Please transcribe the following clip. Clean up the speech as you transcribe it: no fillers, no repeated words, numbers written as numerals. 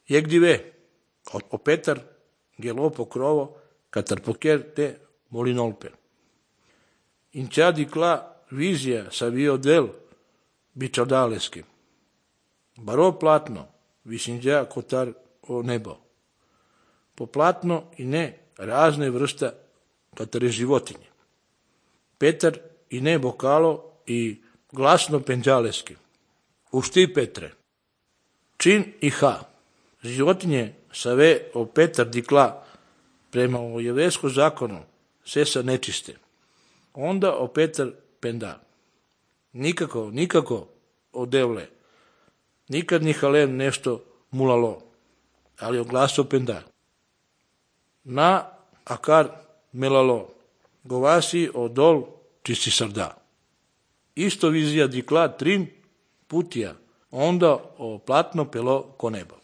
Jegdive, o Petar, gelo pokrovo, katar poker te molinolpe. Inča dikla vizija savio del bičadaleski. Baro platno, visinđa kotar o nebo. Po platno i ne razne vrsta katare životinje. Petar i ne bokalo i glasno penđaleski. Ušti Petre. Čin i ha. Životinje save o Petar dikla prema o jevesko zakonu sesa nečiste. Onda o Petar penda. Nikako odevle. Nikad ni halem nešto mulalo, ali oglaso penda. Na akar melalo, govasi o dol čisti sarda. Isto vizija dikla trin putija, onda o platno pelo ko nebo.